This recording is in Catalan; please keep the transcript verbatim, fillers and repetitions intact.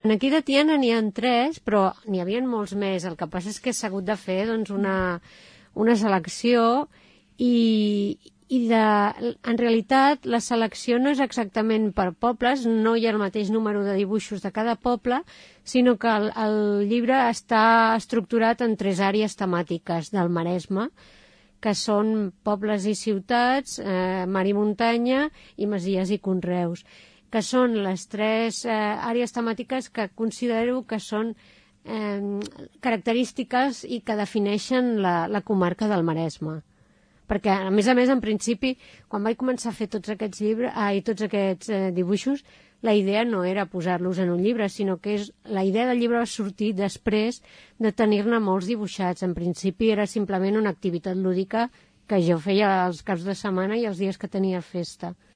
Aquí de Tiana n'hi ha tres, però n'hi havia molts més. El que passa és que s'ha hagut de fer doncs, una, una selecció i, i de, en realitat la selecció no és exactament per pobles, no hi ha el mateix número de dibuixos de cada poble, sinó que el, el llibre està estructurat en tres àrees temàtiques del Maresme, que són pobles i ciutats, eh, mar i muntanya i masies i conreus, que són les tres eh, àrees temàtiques que considero que són eh, característiques i que defineixen la, la comarca del Maresme. Perquè, a més a més, en principi, quan vaig començar a fer tots aquests llibres, ah, i tots aquests eh, dibuixos, la idea no era posar-los en un llibre, sinó que és, la idea del llibre va sortir després de tenir-ne molts dibuixats. En principi era simplement una activitat lúdica que jo feia els caps de setmana i els dies que tenia festa.